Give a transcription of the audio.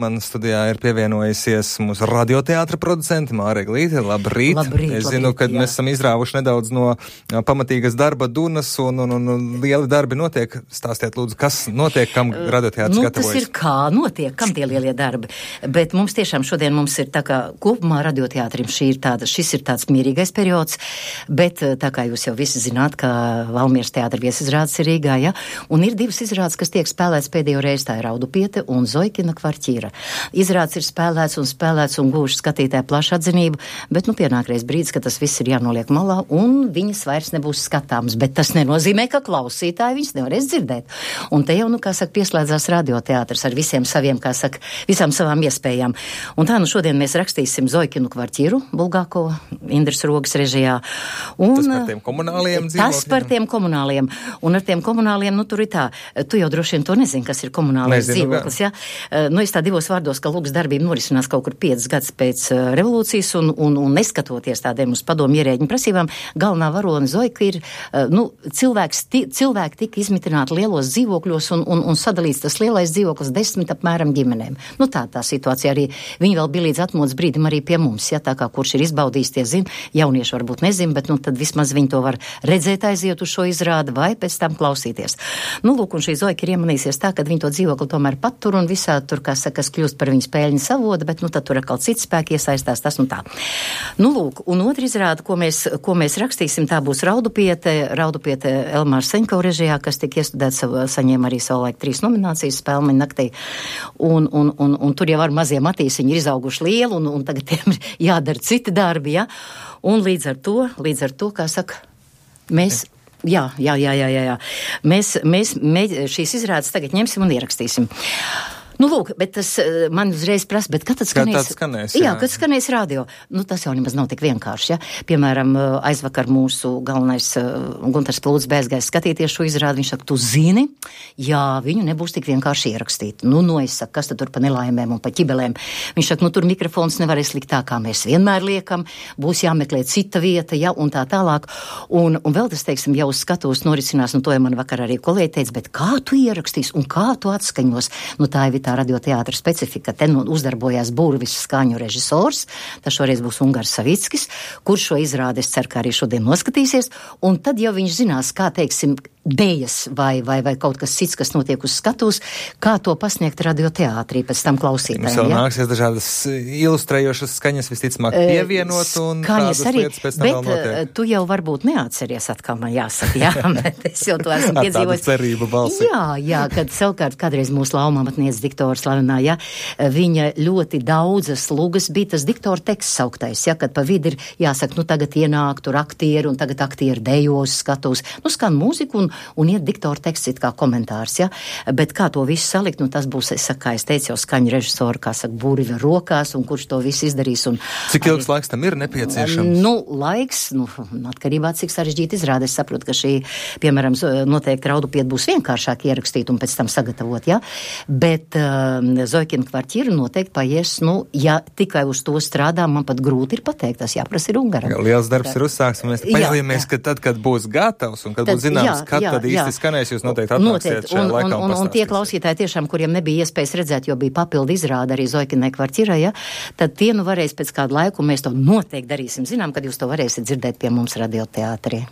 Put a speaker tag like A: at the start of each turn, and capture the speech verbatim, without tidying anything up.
A: Man studijā ir pievienojusies mūsu radioteātra producente Māra Glīte. Labrīt!
B: Labrīt,
A: es zinu,
B: labrīt,
A: ka
B: jā.
A: mēs esam izrāvuši nedaudz no pamatīgas darba dunas un, un, un, un lieli darbi notiek. Stāstiet lūdzu, kas notiek, kam radioteātris
B: nu,
A: gatavojas?
B: Tas ir kā notiek, kam tie lielie darbi. Bet mums tiešām šodien mums ir tā kā kopumā radioteātrim šī ir tāda, šis ir tāds mierīgais periods, bet tā kā jūs jau visi zināt, ka Valmieras teātra viesizrādes ir Rīgā, ja? Un ir divas izrādes, kas tiek spēlēts pēdējo reizi, tā ir Raudupiete un Zoikina kvartīra. Izrādes ir spēlēts un spēlēts un gūši skatītāju plašu atzinību, bet nu pienākreiz brīdis, ka tas viss ir jānoliek malā un viņas vairs nebūs skatāms, bet tas nenozīmē, ka klausītāji viņas nevarēs dzirdēt. Un te jau, nu, kā saka, pieslēdzās radioteātrs ar visiem saviem, kā saka, visām savām iespējām. Un tā, nu, šodien mēs rakstīsim Zoikinu kvartīru, Bulgākovu, Indras Rogas režijā. Un,
A: tas par tiem komunāliem dzīvokļiem? Tas
B: par tiem komunāliem. Un ar tiem komunāliem, nu, tur ir tā, tu jau droši vien to nezini, kas ir komunālais
A: Nezinu,
B: dzīvoklis, ja? Nu, es tā divos vārdos, ka lūgas darbība norisinās kaut kur piecas gadus pēc uh, revolūcijas un, un, un neskatoties tādiem uz padomu ierēģiņu prasībām, galvenā varone Zoika ir, uh, nu, cilvēks, ti, cilvēki tika izmitināti lielos dzīvokļos un, un, un sadalīts tas lielais dzīvoklis desmit apmēram ģimenēm. Nu, tā tā situācija arī, viņi vēl bija līdz atmodas brīdim arī pie mums, ja, tā kā kurš ir izbaudījis, tie zina, jaunieši varbūt nezina, bet, nu, tad vismaz viņi to var redzēt aiziet uz šo izrādi vai pēc tam klausīties. Nu, lūk, un šī Zoika ir iemanīsies tā, ka viņi to dzīvokli tomēr patur un visā tur, kā saka, kas kļūst par viņas pēļņas avodu, bet, nu, tad tur atkal cits spēki iesaistās, tas un tā. Nu, lūk, un otra izrāda, ko mēs, ko mēs rakstīsim, tā būs Raudupiete, Raudupiete Elmāra Seņko režijā, kas tika iestudēts, saņēma arī savulaik trīs nominācijas Spēlmeņa naktī, un, un, un, un tur jau ar mazie matīsiņi ir izauguši lielu, un, un tagad tiem ir jādara citi darbi, ja, un līdz ar to, līdz ar to, kā saka, mēs... Jā, jā, jā, jā, jā, jā. Mēs, mēs, mēs šīs izrādes tagad ņemsim un ierakstīsim. Nu, lūk, bet tas man uzreiz prasa, bet kad tad skanēs?
A: skanēs
B: jā, jā, kad skanēs radio. Nu, tas jau nemaz nav tik vienkārši, ja. Piemēram, aizvakar mūsu galvenais Guntars Plūds beigās skatīties šo izrādi, viņš saka, tu zini, jā, viņu nebūs tik vienkārši ierakstīt. Nu, nu, es saku, kas tad tur pa nelaimēm un pa ķibelēm? Viņš saka, nu, tur mikrofons nevarēs likt tā, kā mēs vienmēr liekam, būs jāmeklē cita vieta, ja, un tā tālāk. Un, un vēl tas, teiksim, jau uz skatuves norisinās, nu, to jau man vakar arī kolēģi teica, bet kā tu ierakstīs un kā tu atskaņos? Nu, tā ir tā radioteātra specifika. Te nu uzdarbojās burvis skaņu režisors, tas šoreiz būs Ungars Savickis, kurš šo izrādi, es ceru, ka arī šodien noskatīsies, un tad jau viņš zinās, kā, teiksim, dējas vai, vai, vai kaut kas cits, kas notiek uz skatuves, kā to pasniegt radioteātrī, pēc tam klausītājiem.
A: Mums vēl
B: ja?
A: nāksies dažādas ilustrējošas skaņas visticamāk pievienot un
B: skaņas
A: tādas
B: arī,
A: lietas pēc tam
B: bet,
A: vēl notiek.
B: Tu jau varbūt neatceries atkal, man jāsaka, jā, bet es jau to esmu piedzīvojis.
A: Tāda cerība balsi.
B: Jā, jā, kad savukārt kādreiz mūsu laumamatniece diktora slavenā, ja, viņa ļoti daudzas lugas bija tas diktora teksts sauktais, ja, kad pa vidi ir jāsaka, nu tagad ienāk tur aktieri un tagad aktieri dejos skatos, nu skan mūziku un un iet diktora teksts it kā komentārs, ja? Bet kā to visu salikt, nu tas būs, es saku, kā es teicu, jau skaņu režisoru, kā saka, burvi rokās, un kurš to visu izdarīs. Un
A: cik ilgs arī, laiks tam ir nepieciešams?
B: Nu, laiks, nu, atkarībā cik sarežģīti izrāda. Es saprotu, ka šī, piemēram, noteikti Raudupiete būs vienkāršāk ierakstīt un pēc tam sagatavot, ja? Bet uh, Zoikina kvartīra noteikti paies, nu, ja tikai uz to strādā, man pat grūti ir pateikt, tas jāprasa ir Ungaram.
A: Jā, liels darbs ir uzsāks, un mēs paļaujamies, ka tad, kad būs gatavs un kad tad, būs zināms, jā, kad jā, tad īsti jā. Skanēs, jūs noteikti atnāksiet šajā
B: un,
A: laikā
B: un, un, un tie klausītāji tiešām, kuriem nebija iespējas redzēt, jo bija papildu izrāda arī Zoikinai kvartīrai, ja, tad tie nu varēs pēc kādu laiku, mēs to noteikti darīsim. Zinām, kad jūs to varēsiet dzirdēt pie mums radioteātrī.